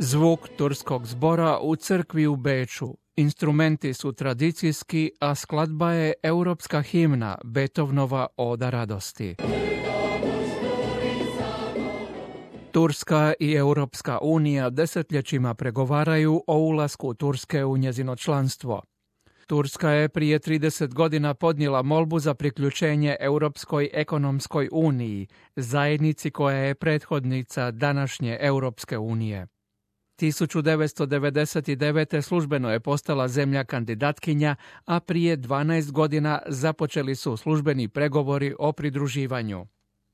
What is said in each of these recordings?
Zvuk turskog zbora u crkvi u Beču. Instrumenti su tradicijski, a skladba je europska himna Beethovenova Oda radosti. Turska i Europska unija desetljećima pregovaraju o ulasku Turske u njezino članstvo. Turska je prije 30 godina podnijela molbu za priključenje Europskoj ekonomskoj uniji, zajednici koja je prethodnica današnje Europske unije. 1999. službeno je postala zemlja kandidatkinja, a prije 12 godina započeli su službeni pregovori o pridruživanju.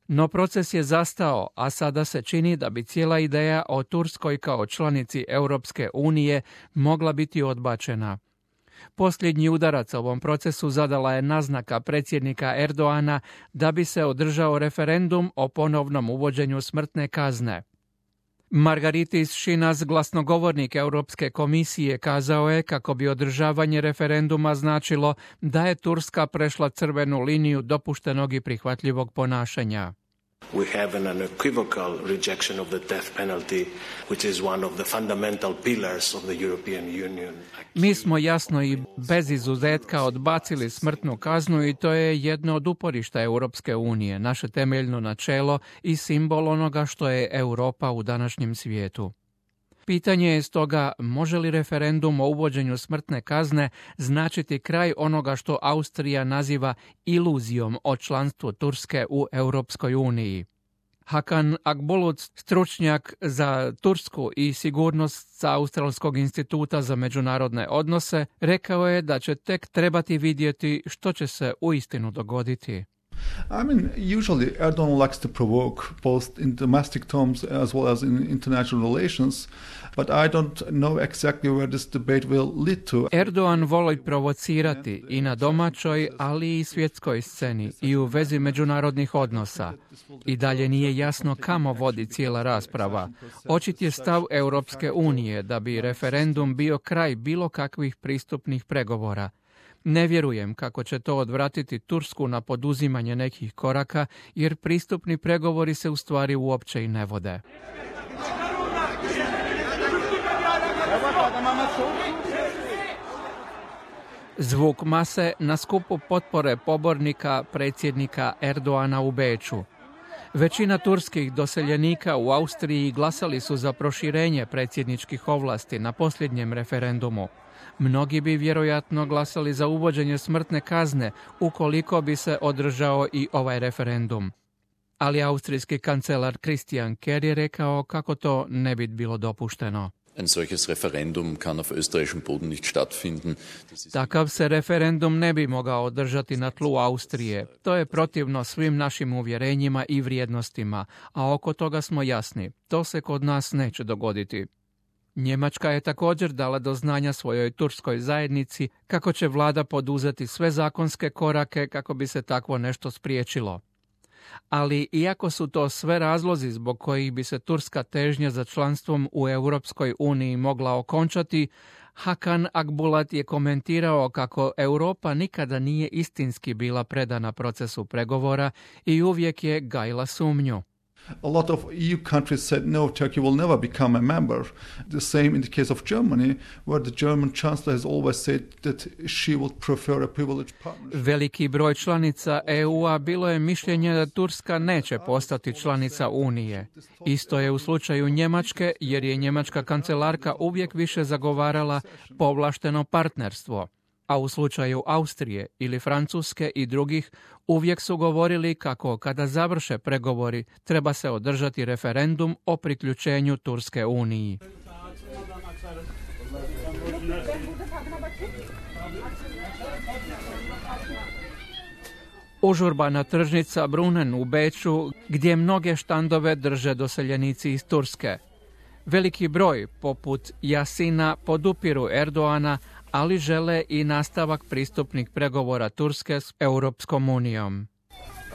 No proces je zastao, a sada se čini da bi cijela ideja o Turskoj kao članici Europske unije mogla biti odbačena. Posljednji udarac ovom procesu zadala je naznaka predsjednika Erdoana da bi se održao referendum o ponovnom uvođenju smrtne kazne. Margaritis Schinas, glasnogovornik Europske komisije, kazao je kako bi održavanje referenduma značilo da je Turska prešla crvenu liniju dopuštenog i prihvatljivog ponašanja. We have an unequivocal rejection of the death penalty, which is one of the fundamental pillars of the European Union. Mi smo jasno i bez izuzetka odbacili smrtnu kaznu i to je jedno od uporišta Europske unije, naše temeljno načelo i simbol onoga što je Europa u današnjem svijetu. Pitanje je stoga, može li referendum o uvođenju smrtne kazne značiti kraj onoga što Austrija naziva iluzijom o članstvu Turske u Europskoj uniji. Hakan Akbulut, stručnjak za Tursku i sigurnost sa Australskog instituta za međunarodne odnose, rekao je da će tek trebati vidjeti što će se uistinu dogoditi. Usually Erdogan likes to provoke both in domestic terms as well as in international relations, but I don't know exactly where this debate will lead to. Erdogan voli provocirati i na domaćoj, ali i svjetskoj sceni i u vezi međunarodnih odnosa. I dalje nije jasno kamo vodi cijela rasprava. Očit je stav Europske unije da bi referendum bio kraj bilo kakvih pristupnih pregovora. Ne vjerujem kako će to odvratiti Tursku na poduzimanje nekih koraka, jer pristupni pregovori se u stvari uopće i ne vode. Zvuk mase na skupu potpore pobornika predsjednika Erdoana u Beču. Većina turskih doseljenika u Austriji glasali su za proširenje predsjedničkih ovlasti na posljednjem referendumu. Mnogi bi vjerojatno glasali za uvođenje smrtne kazne ukoliko bi se održao i ovaj referendum. Ali austrijski kancelar Christian Kerr je rekao kako to ne bi bilo dopušteno. Ein solches Referendum kann auf österreichischem Boden nicht stattfinden. Takav se referendum ne bi mogao održati na tlu Austrije. To je protivno svim našim uvjerenjima i vrijednostima, a oko toga smo jasni. To se kod nas neće dogoditi. Njemačka je također dala do znanja svojoj turskoj zajednici kako će vlada poduzeti sve zakonske korake kako bi se takvo nešto spriječilo. Ali iako su to sve razlozi zbog kojih bi se turska težnja za članstvom u Europskoj uniji mogla okončati, Hakan Akbulut je komentirao kako Europa nikada nije istinski bila predana procesu pregovora i uvijek je gajila sumnju. A lot of EU countries said no, Turkey will never become a member. The same in the case of Germany, where the German chancellor has always said that she would prefer a privileged partnership. Veliki broj članica EU-a bilo je mišljenje da Turska neće postati članica Unije. Isto je u slučaju Njemačke, jer je njemačka kancelarka uvijek više zagovarala povlašteno partnerstvo. A u slučaju Austrije ili Francuske i drugih uvijek su govorili kako kada završe pregovori treba se održati referendum o priključenju Turske Uniji. Užurbana tržnica Brunnen u Beču, gdje mnoge štandove drže doseljenici iz Turske. Veliki broj, poput Jasina, podupiru Erdoana, ali žele i nastavak pristupnih pregovora Turske s Europskom unijom.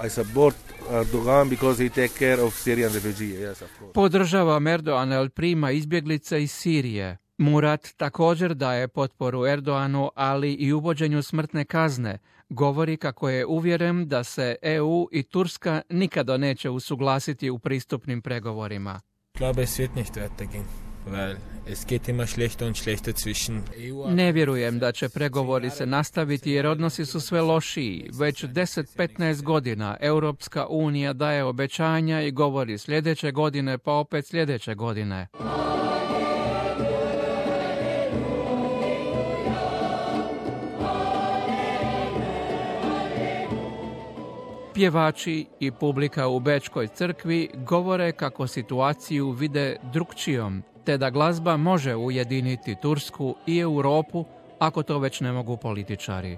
I support Erdogan because he take care of Syrian refugees. Yes, of course. Podržavam Erdoana jer prima izbjeglice iz Sirije. Murat također daje potporu Erdoanu, ali i uvođenju smrtne kazne. Govori kako je uvjeren da se EU i Turska nikada neće usuglasiti u pristupnim pregovorima. Ich glaube, es wird nicht weitergehen. weil es geht immer schlechter und schlechter zwischen EU. Ne vjerujem da će pregovori se nastaviti jer odnosi su sve lošiji. Već 10-15 godina Europska unija daje obećanja i govori sljedeće godine pa opet sljedeće godine. Pjevači i publika u Bečkoj crkvi govore kako situaciju vide drukčijom, te da glazba može ujediniti Tursku i Europu ako to već ne mogu političari.